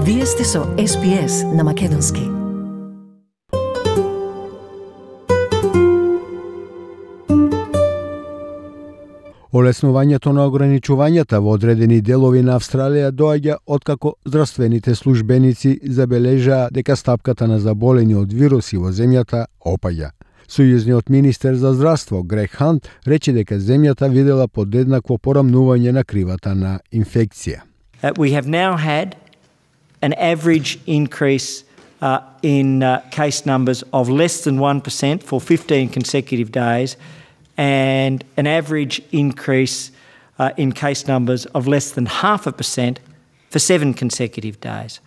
Вие сте со SPS на Македонски. Олеснувањето на ограничувањата во одредени делови на Австралија доаѓа откако здравствените службеници забележаа дека стапката на заболени од вируси во земјата опаѓа. Сојузниот министер за здравство Грег Хант рече дека земјата видела подеднакво порамнување на кривата на инфекција. We have now had an average increase in case numbers of less than 1% for 15 consecutive days and an average increase in case numbers of less than 0.5% for 7 consecutive days.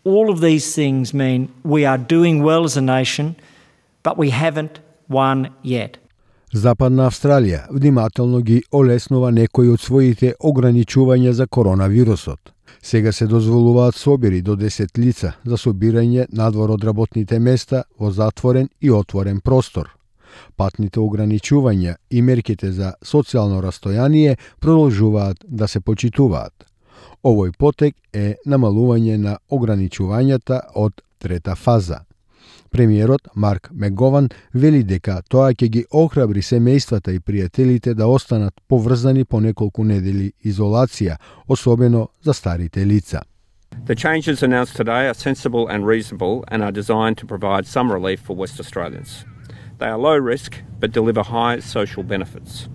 All of these things mean we are doing well as a nation, but we haven't won yet. Западна Австралија внимателно ги олеснува некои од своите ограничувања за коронавирусот. Сега се дозволуваат собири до 10 лица за собирање надвор од работните места во затворен и отворен простор. Патните ограничувања и мерките за социјално растојание продолжуваат да се почитуваат. Овој потек е намалување на ограничувањата од трета фаза. Премиерот Марк Мегован вели дека тоа ќе ги охрабри семејствата и пријателите да останат поврзани по неколку недели изолација, особено за старите лица. The changes announced today are sensible and reasonable and are designed to provide some relief for West Australians. They are low risk but deliver high social benefits.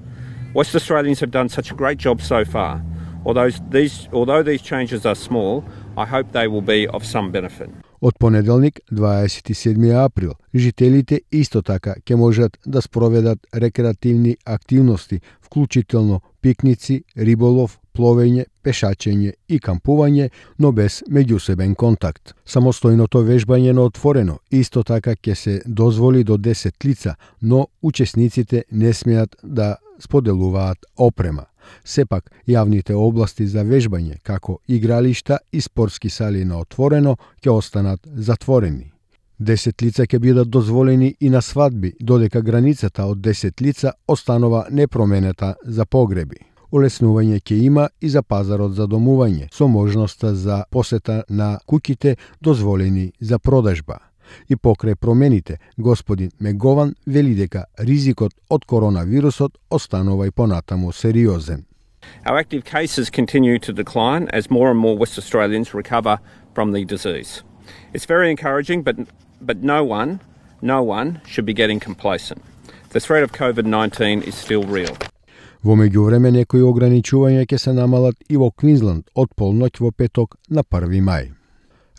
West Australians have done such a great job so far. Although these changes are small, I hope they will be of some benefit. Од понеделник, 27 април, жителите исто така ќе можат да спроведат рекреативни активности, вклучително пикници, риболов, пловење, пешачење и кампување, но без меѓусебен контакт. Самостојното вежбање на отворено исто така ќе се дозволи до 10 лица, но учесниците не смеат да споделуваат опрема. Сепак, јавните области за вежбање, како игралишта и спортски сали на отворено, ќе останат затворени. 10 лица ќе бидат дозволени и на свадби, додека границата од 10 лица останува непроменета за погреби. Олеснување ќе има и за пазарот за домување, со можноста за посета на куќите дозволени за продажба. И покрај промените, господин Мегован вели дека ризикот од коронавирусот останува и понатаму сериозен. Our active cases continue to decline as more and more West Australians recover from the disease. It's very encouraging, but no one should be getting complacent. The threat of COVID-19 is still real. Во меѓувреме некои ограничувања ќе се намалат и во Квинсленд од полноќ во петок на 1 мај.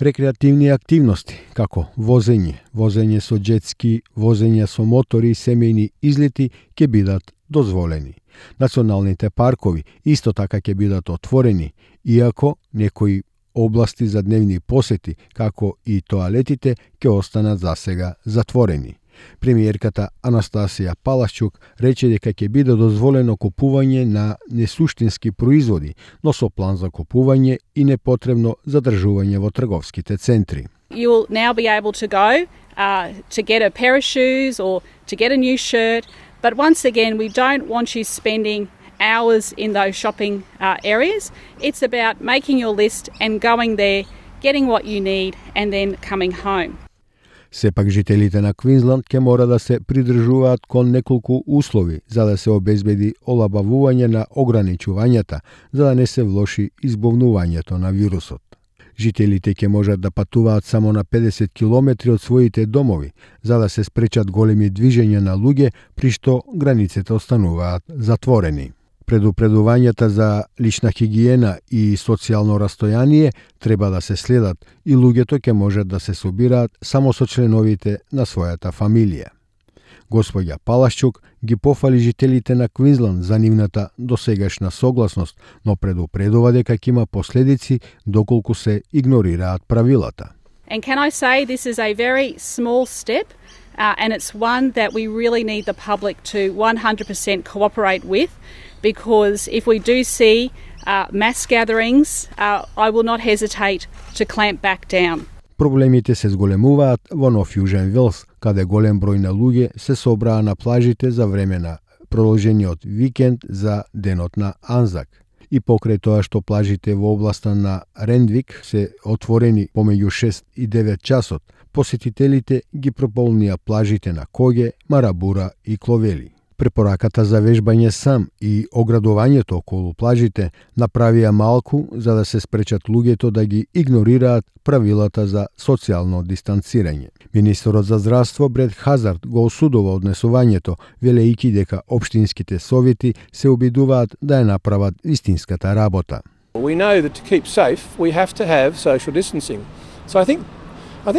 Рекреативни активности, како возење со джетски, возење со мотори и семејни излети ќе бидат дозволени. Националните паркови исто така ќе бидат отворени, иако некои области за дневни посети, како и тоалетите, ќе останат засега затворени. Премиерката Анастасија Палашчук рече дека ќе биде дозволено купување на несуштински производи, но со план за купување и непотребно задржување во трговските центри. You will now be able to go to get a pair of shoes or to get a new shirt, but once again we don't want you spending hours in those shopping areas. It's about making your list and going there, getting what you need and then coming home. Сепак жителите на Квинсленд ќе мора да се придржуваат кон неколку услови за да се обезбеди олабавување на ограничувањата, за да не се влоши избовнувањето на вирусот. Жителите ќе можат да патуваат само на 50 километри од своите домови, за да се спречат големи движења на луѓе, при што границите остануваат затворени. Предупредувањата за лична хигиена и социјално растојание треба да се следат и луѓето ќе можат да се собираат само со членовите на својата фамилија. Господја Палашчук ги пофали жителите на Квинсленд за нивната досегашна согласност, но предупредува дека ќе има последици доколку се игнорираат правилата. And can I say this is a very small step and it's one that we really need the public to 100% cooperate with, because if we do see mass gatherings, I will not hesitate to clamp back down. Проблемите се зголемуваат во Нов Јужен Велс, каде голем број на луѓе се собраа на плажите за време на продолжениот викенд за денот на Анзак. и покрај тоа што плажите во областа на Рендвик се отворени помеѓу 6 и 9 часот, посетителите ги прополнија плажите на Коге, Марабура и Кловели. Препораката за вежбање сам и оградувањето околу плажите направија малку за да се спречат луѓето да ги игнорираат правилата за социјално дистанцирање. Министерот за здравство Бред Хазард го осудува однесувањето, велејќи дека општинските совети се обидуваат да ја направат вистинската работа. We know that to keep safe, we have to have social distancing. So I think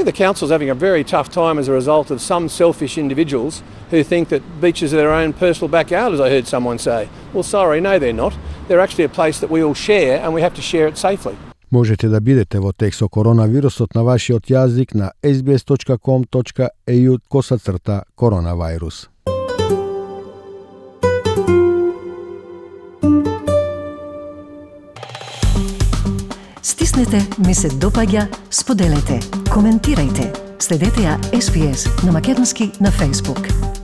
the council's having a very tough time as a result of some selfish individuals who think that beaches are their own personal backyard, as I heard someone say. Well, sorry, no, they're not. They're actually a place that we all share and we have to share it safely. Можете да бидете во текст со коронавирусот на вашиот јазик на sbs.com.au/коронавирус. Стиснете, ми се допаѓа, споделете, коментирајте. Следете ја SPS на Македонски на Facebook.